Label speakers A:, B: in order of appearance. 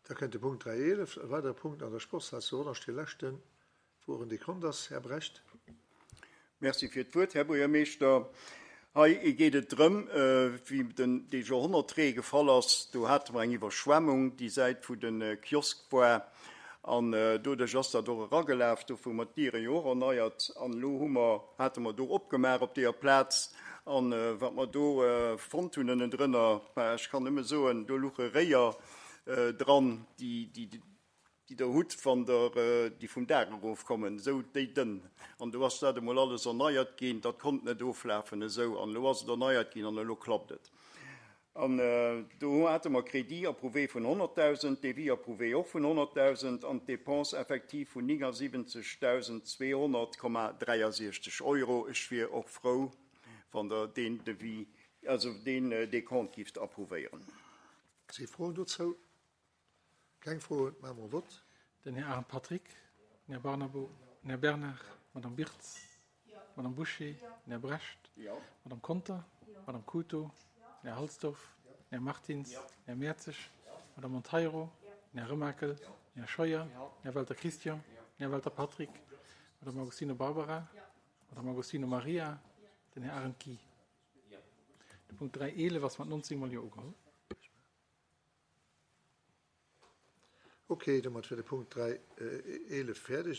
A: Da kënnt de Punkt 3.11, e weidere Punkt an der Sportshal zu Rodange, dee leschten, wou och en Dekont ass. Här Brecht.
B: Merci fir d'Wuert, Här Buergermeeschter. Hei geet et drëm, wéi den dee Joerhonnertree gefall ass, do hate mer eng Iwwerschwemmung déi Säit wou de Kiosk war an doduerch ass dat och eragelaf. Dofir hu mer d'Diere jo och erneiert an elo hu mer, hate mer do opgemaach op deeër Plaz an wat mer do fonnt hunn ënnendrënner, bah ech kann nëmme soen, do luche Réier dran, déi, déi, déi Der hutt, wann Der déi vum Daach erofkommen, esou déi dënn. An do ass dat emol alles erneiert ginn. Dat konnt net oflafen esou. An elo ass et erneiert ginn an elo klappt et. An do hate mer Crédit approuvé vun 100.000, Devis approuvé och vun 100.000 an d'Dépenses effectives vun 79.200,63 Euro. Ech wier och frou, wann Der deen Devis, also deen Décompte gifft approuvéieren.
A: Si Froen dozou? Keng Froen, maache mer e Vott.
C: Den Här Arendt Patrick, den Här Barnabo, den Här Bernard, d'Madame Birtz, d'Madame Bouché, den Här Brecht, d'Madame Conter, d'Madame Couto, den Här Halsdorf, den Här Martins, den Här Mertzig, d'Madame Monteiro, den Här Remakel, den Här Scheuer, den Här Welter Christian, den Här Welter Patrick, d'Madame Agostino Barbara, d'Madame Agostino Maria, den Här Arendt Guy. De Punkt 3.11 ass mat 19 mol Jo ugeholl.
A: Ok, domat wär de Punkt 3.11 fäerdeg.